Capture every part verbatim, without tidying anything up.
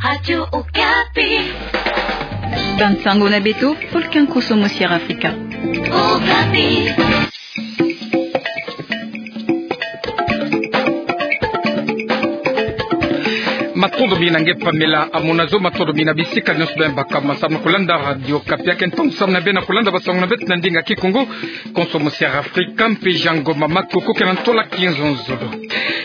Radio Okapi. Bansango na beto, pulkan koso mo Sierra Africa. Okapi. Matondo mingi na nge Pamela Amunazo, matondo mingi na bisika nyonso beno baka ma samu na kulanda Radio Okapi. Ake ntangu samu na beno na kulanda bansango na beto na ndinga Kikongo, koso mo Sierra Africa, mpe Jean Ngoma Makoko ke na ntwala kinzonzolo.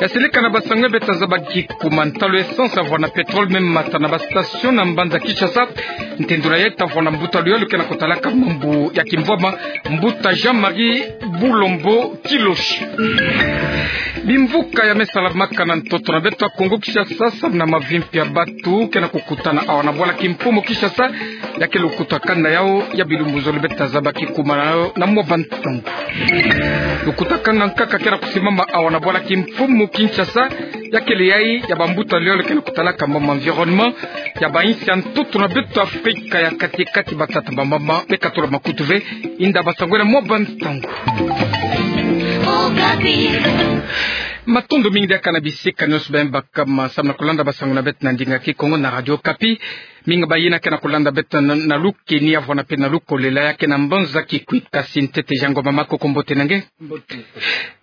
Ya silika na bansango ya beto, tazaba kikuma ntalu essence, avwana pétrole, meme mata na ba station na mbanza Kinshasa. Ntendula yayi tavwanda mbuta luyalu ke na kutalaka mambu ya kimvwama, mbuta Jean-Marie Bulombo Kiloshi. Bimvuka ya me salamaka na ntoto na beto ya Kongo Kinshasa, samu na mavimpi ya bantu ke na kukutana awa na bwala kimfumu Kinshasa, ya kele lukutakanu na yawu ya bilumbu zole beto tazaba kikuma na yawu na mwa bantu. Lukutakanu ya nkaka ke na kusimama awa na bwala kimfumu Kinshasa, ya kele yayi ya bambuta luyalu ke na kutalaka mambu environnement ya bayinsi ya ntoto na beto Afrika ya kati-kati, batata, bamama, beka tula makutu ve, inda basango na mwa bansango. Matondo mingi diaka na bisika nyonso beno baka ma samu na kulanda bansango na beto na ndinga Kikongo na Radio Okapi. Mingi bayina ke na kulanda beto na, na lukeni, avwanda mpe na lukolela, ya ke na mbanza Kikwit. Kasi ntete Jean Ngoma Makoko, mbote na nge. Mbote.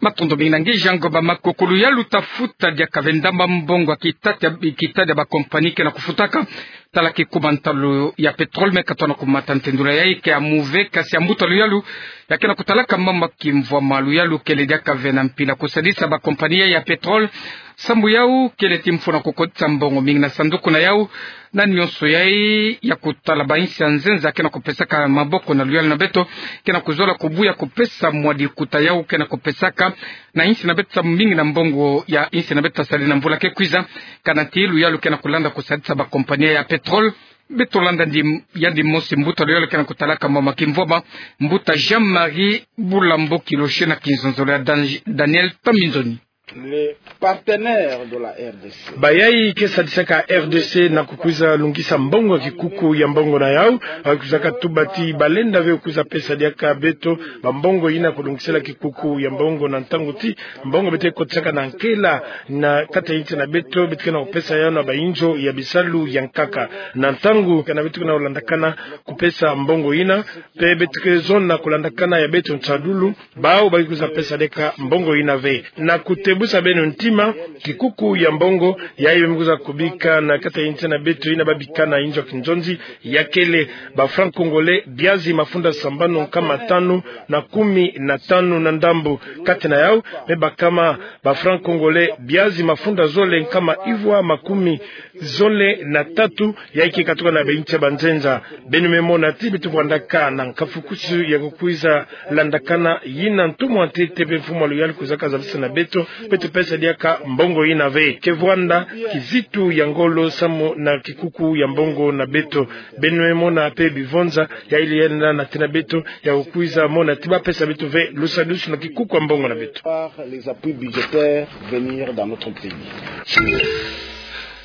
Matondo mingi na nge Jean Ngoma Makoko. Luyalu tafuta diaka ve ndamba mbongo ya kitadi, kitadi ya ba compagnie ke na kufutaka. Tala kikuma ntalu ya pétrole me katona kumata, ntendula yayi ke ya mu ve, kasi ya mbuta luyalu ya ke na kutalaka mambu ya kimvwama, luyalu kele diaka ve na mpila kusadisa ba compagnie ya pétrole. Samu yawu kele ti mfunu ya kukotisa mbongo mingi na sanduku na yawu. Na nyonso yayi ya kutala bayinsi ya nzenza ke na kupesaka maboko na luyalu na beto, ke na kuzola kubuya kupesa mwa dikuta yawu ke na kupesaka na yinsi na beto samu mingi na mbongo ya yinsi na beto tasali na mvula ke kwiza. Kana ti luyalu ke na kulanda kusadisa ba compagnie ya pétrole. Beto landa ndi, yandi mosi mbuta luyalu ke na kutalaka mambu ya kimvwama, mbuta Jean-Marie Bulombo Kiloshi na kinzonzolo ya Dan-, Daniel Tambinzoni. Les partenaires de la R D C. Bayayi ke sadisaka R D C na kukwiza lungisa mbongo ya kikuku ya mbongo na yawu, ba kwizaka tuba ti balenda ve kwiza pesa diaka beto bambongo yina kulungisela kikuku ya mbongo, na ntangu ti mbongo beto ke kotisaka na nkela na kati ya yinsi na beto, beto ke na kupesa yawu na bayinzo ya bisalu ya nkaka. Na ntangu kana beto ke na kulandakana kupesa mbongo yina, mpe beto ke zona kulandakana ya beto nsadulu, bawu ba ke kwiza pesa diaka mbongo yina ve. Na kutebusa beno ntima, kikuku ya mbongo yayi me kwiza kubika na kati ya yinsi na beto yina ba bika na yinzo ya kinzonzi, ya kele ba francs congolais biazi mafunda sambanu nkama tanu na kumi na tanu na ndambu. Kati na yawu me bakama ba francs congolais biazi mafunda zole nkama ivwa makumi zole na tatu, yayi ke katuka na bayinsi ya banzenza. Beno me mona ti beto vwandaka na nkafukusu ya kukwiza landakana yina ntumwa ntete mpe mfumu ya luyalu kwizaka zabisa na beto, beto pesa diaka mbongo yina ve. Ke vwanda kizitu ya ngolo samu na kikuku ya mbongo na beto. Beno me mona mpe bivonza yayi lenda na tena beto ya kukwiza mona ti ba pesa beto ve lusadusu na kikuku ya mbongo na beto. Par les appuis budgétaires venir dans notre pays.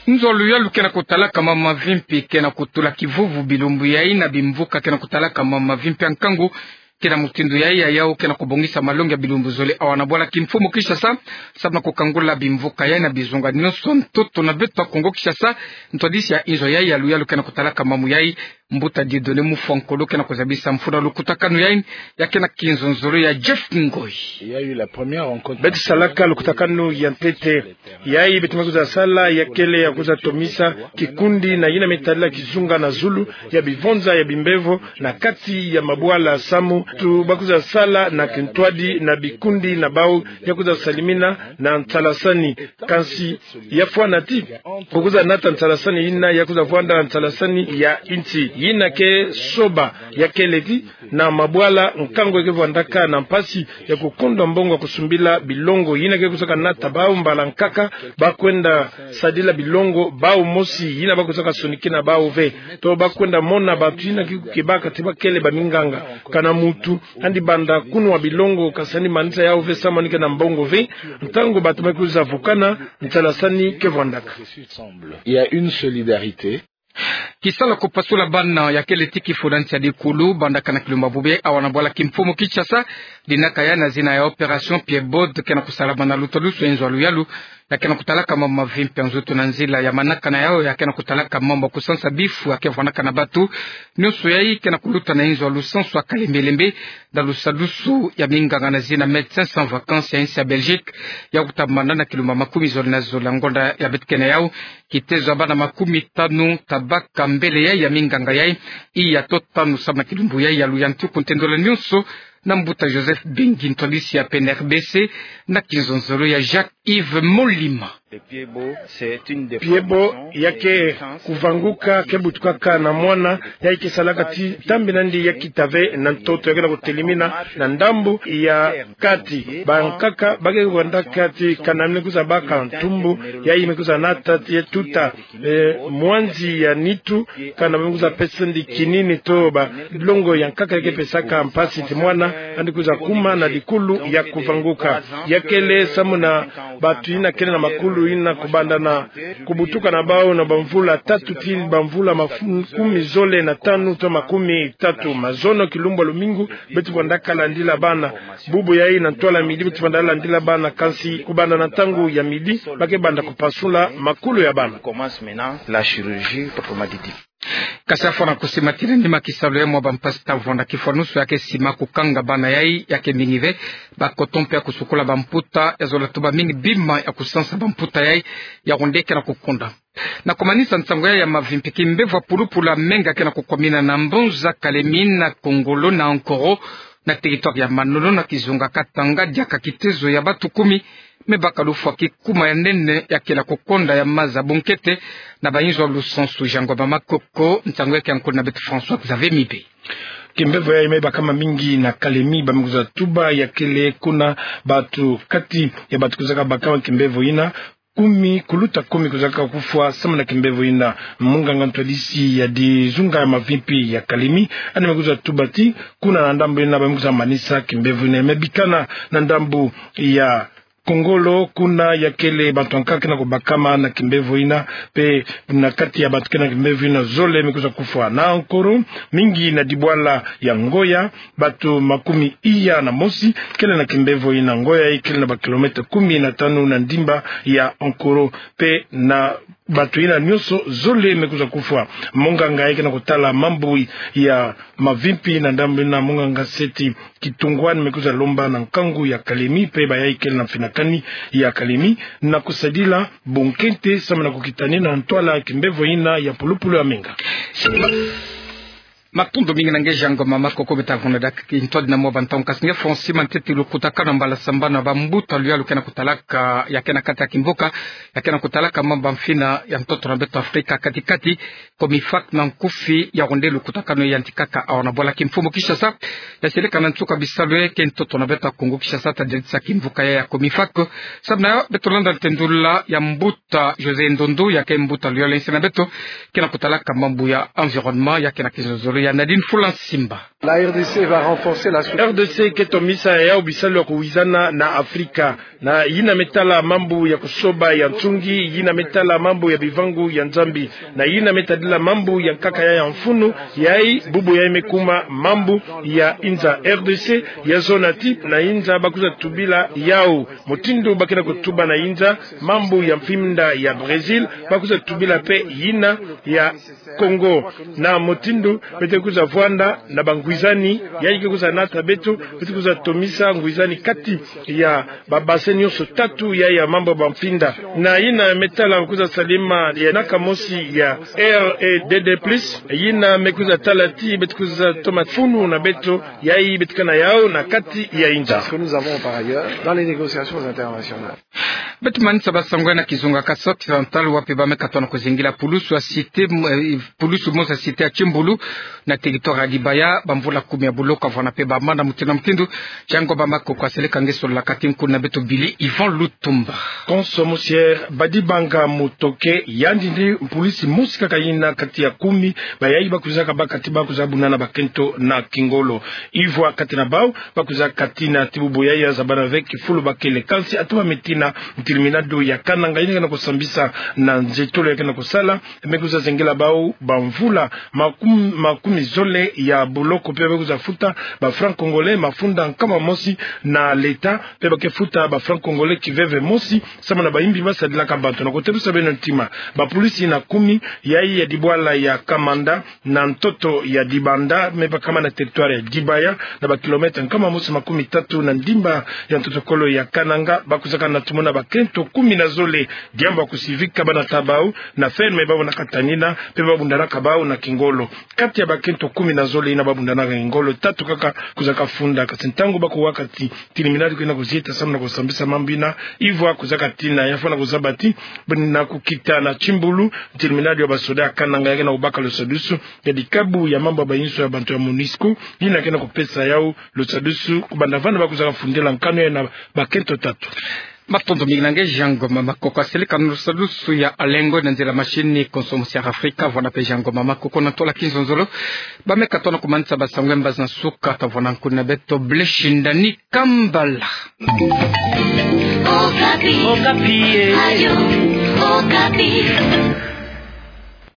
Nzo luyalu ke na kutalaka mambu mavimpi ke na kutula kivuvu bilumbu yayi, na bimvuka ke na kutalaka mambu mavimpi ya nkangu ke na mutindu yayi, ya yawu ke na kubongisa malongi ya bilumbu zole awa na bwala kimfumu Kinshasa, samu na kukangula bimvuka yayi na bizunga nyonso ntoto na beto ya Kongo Kinshasa. Ntwadisi ya nzo yayi ya luyalu ke na kutalaka mambu yayi, mbuta Dieudonné Mufwankolo ke na kuzabisa mfunu ya lukutakanu yayi, ya ke na kinzonzolo ya Jeff Ngoyi. Il y a eu la première rencontre. Beto salaka lukutakanu ya ntete. Yayi beto me kwiza sala ya kele ya kwiza tomisa kikundi na yina me tadila kizunga na zulu ya bivonza ya bimbevo na kati ya mabwala samu tu ba kwiza sala na kintwadi na bikundi na bawu ya kwiza salimina na nsalasani. Kansi ya fwana ti ku kwiza nata nsalasani yina ya kwiza vwanda nsalasani ya nsi yina ke soba, ya kele ti na mabwala nkangu ke vwandaka na mpasi ya kukondwa mbongo ya kusumbila bilongo yina ke kwizaka nata bawu mbala nkaka ba kwenda sadila bilongo bawu mosi yina ba kwizaka sonikina bawu ve, to ba kwenda mona bantu yina ke kukebaka ti ba kele baminganga. Kana muntu andi banda kunwa bilongo, kansi andi manisa yawu ve samu andi ke na mbongo ve, ntangu bantu me kwiza vukana, nsalasani ke vwandaka. Il y a une solidarité. Kisalu ya kupasula bana ya kele ti kifuna nsi ya dikulu, bandaka na kilumbu ya bubê awa na bwala kimfumu Kinshasa, dinaka ya na zina ya opération Pied-Bot, ke na kusalama na lutalusu ya inzo ya luyalu, ya ke na kutalaka mambu mavimpi ya nzutu na nzila ya manaka na yau, ya ke na kutalaka mambu ya kusansa bifu ya ke vwanaka na batu. Nionso yayi ke na kuluta na inzo ya lusansu ya kalembe-lembe, na lusadusu ya minganga na zina Médecins Sans Vacances ya insi ya Belgique, ya kutambana na kilumbu makumi zole na zole ya ngonda ya beto ke na yau. Kitezo ya bana makumi tanu tabaka mbele yayi ya minganga yayi, iya to tanu samu na kilumbu yayi ya luyantiku. Ntendolo nionso na mbuta Joseph Bengi, ntwadisi ya P N R B C, na kinzonzolo ya Jacques-Yves Molima. Pied-Bot ya ke kuvanguka, ke butukaka na mwana, yayi ke salaka ti ntambi na yandi ya kita ve na ntoto, ya ke na kutelimina na ndambu ya kati. Bankaka ba ke kwenda kati, kana me kwiza baka ntumbu, yayi me kwiza nata ti tuta, eh, mwanzi ya nitu, kana me kwiza pesa yandi kinini to ba longo ya nkaka ya ke pesaka mpasi ti mwana yandi kwiza kuma na dikulu ya kuvanguka. Ya kele samu na batu yina kele na makulu yina kubanda na kubutuka na bau na bamvula tatu ti bamvula makumi zole na tanu to makumi tatu. Mazono kilumbu ya lumingu beto vwandaka landila bana. Bubu yayi na ntwala midi beto vwanda landila bana, kansi kubanda na ntangu ya midi ba ke banda kupasula makulu ya bana. Kasi afwana kusimatila nima kisalu ya mwa bampasi ta vwanda kifwanusu ya ke sima kukanga bana yayi ya ke mingi ve, ba coton mpe ya kusukula bamputa, ya zola tuba mingi bima ya kusansa bamputa yayi, ya wonde ke na kukonda. Na kumanisa nsangu yayi ya mavimpi, kimbevo ya pulupulu ya menga ke na kukwamina na mbanza Kalemi, na Kongolo, na Ankoro, na territoire ya Manono, na kizunga Katanga, diaka kitezo ya batu kumi me baka lufwa kikuma ya nene ya ke na kukonda ya maza bunkete na bainzo ya lusansu. Jangwa ba Makoko, nsangu yayi ke nkulu na beto François Xavier Mibe. Kimbevo yayi me bakama mingi na Kalemi, ba me kwiza tuba ya kele kuna batu kati ya batu kwizaka bakama kimbevo yina, kumi, kuluta kumi kwizaka kufwa samu na kimbevo yina. Munganga ntwadisi ya dizunga ya mavimpi ya Kalemi, yandi me kwiza tuba ti kuna na ndambu yina ba me kwiza manisa kimbevo yina. Me bikana na ndambu ya Kongolo, kuna ya kele bantu ya nkaka ke na kubakama na kimbevo yina, mpe na kati ya bantu ke na kimbevo yina zole me kwiza kufwa. Na Ankoro, mingi na dibwala ya Ngoya, bantu makumi iya na mosi kele na kimbevo yina. Ngoya yayi kele na bakilomètre kumi na tanu na ndimba ya Ankoro, mpe na bantu yina nionso zole me kwiza kufwa. Munganga yayi ke na kutala mambu ya mavimpi na ndambu yina, munganga Seti Kitungwani, me kwiza lomba na nkangu ya Kalemi mpe bayayi kele na mfinakani ya Kalemi na kusadila bunkete samu na kukitanina ntwala kimbevo yina ya pulupulu ya menga. Matondo mingi na nge Jangwa ma Makoko. Beto vundaha kintwadi na mwa bantangu, kasi nge François, ma ntete lukutakanu mbala sambanu ya bambuta luyalu ke na kutalaka, ya ke na kati ya kimvuka, ya ke na kutalaka mambu ya mfina ya ntoto na beto Afrika kati-kati, COMIFAC na nkufi, ya wonde lukutakanu yayantikaka awa na bwala kimfumu Kinshasa, ya seleka na nsuka bisalu ya ke ntoto na beto ya Kongo Kinshasa, ta diadisa kimvuka ya, ya COMIFAC. Samu na yo, beto landa ntendula ya mbuta José Ndondo, ya ke mbuta luyalu ya nsi na beto ke na kutalaka mambu ya environnement, ya ke na kizololo ya Nadine Fulansimba. La R D C va renforcer la sou- R D C ke tomisa ya yau bisalu ya kuwizana na Afrika. Na yina me tala mambu ya kusoba ya nsungi, yina me tala mambu ya bivangu ya Nzambi, na yina me tadila mambu ya nkaka ya, ya mfunu, yayi bubu yayi me kuma mambu ya inza. R D C ya zona ti na inza ba kwiza tubila yau mutindu ba ke na kutuba na inza mambu ya mfinda ya Brésil, ba kwiza tubila mpe yina ya Congo. Na mutindu beto kwiza vwanda na bangwizani, yayi ke kwiza nata beto, beto kwiza tomisa ngwizani kati ya ba bassin nionso tatu ya, ya mambu ya bamfinda. Na yina me tala kwiza salama ya naka mosi ya R E D D plus, yina me kwiza tala ti beto kwiza toma funu na beto, yayi beto kana yau na kati ya inza. Ce que nous avons par ailleurs dans les négociations internationales. Beto manisa basango na kizunga Kasai Occidental, wapi ba me katono kuzingila pulusu ya cité, eh, pulusu mosi ya cité ya Kimbulu, Na territoire ya Dibaya, bamvula kumi ya boloko avwanda mpe bamana mutindu na mutindu. Jean Ngoma Makoko aseleka nge solola kati nkuna beto Billy Yvon Lutumba. Konso Mosier, Badibanga Mutoke, yandi nde polisi mosi kaka yina kati ya kumi, bayayi bakwiza kabaka ti bakwiza bundana bakento na kingolo. Ivwa kati na bau, bakwiza kati na ti bubu yayi ya zabana ve kifulu bakele. Kansi atu ba metina, ntilimina do ya Kananga yina ke na kusambisa na nzietolo ya ke na kusala, me kwiza zengela bau bamvula makumi, makumi zole ya boloko, mpe ba kwiza futa ba francs congolais mafunda nkama mosi na l'État, mpe ba ke futa ba francs congolais kiveve mosi, samu na bayimbi basadilaka bantu. Na kotelusa beno ntima, bapolisi na kumi, yayi ya dibwala ya Kamanda, na ntoto ya Dibanda, me bakama na territoire ya Dibaya, na ba kilomètre nkama mosi makumi tatu na ndimba ya ntotokolo ya Kananga, bakwizaka na tumona bakento kumi na zole, diambu ya kusivika bana ta bau na ferme babo na katanina, mpe babundanaka bau na kingolo. Kati ya bakento kumi na zole yina babundanaka na kingolo, tatu kaka kwizaka funda. Kansi ntangu bakuwa kati, ntilimina do ke na kuzieta samu na kusambisa mambu yina, ivwa kwizaka tina ya fwana kuzaba ti, buna kukita na timbulu, ntilimina do ya basoda ya Kananga ya ke na kubaka lusadusu ya dikabu ya mambu ya bayinso ya bantu ya MONUSCO, yina ke na kupesa yau lusadusu, kubanda vana bakwizaka fundila nkanu ya na bakento tatu. Matondo mingi na nge Jean Ngoma Makoko aseleka na lusadusu ya Alengo na nzila machine. Konso Mosier Afrika, vwanda mpe Jean Ngoma Makoko na ntola kinzonzolo. Ba me katono kumanisa ba sango ya mbazi na suka, ta vwanda nkuna beto Blessing Ndani Kambala. Okapi. Okapi, eh. Radio Okapi.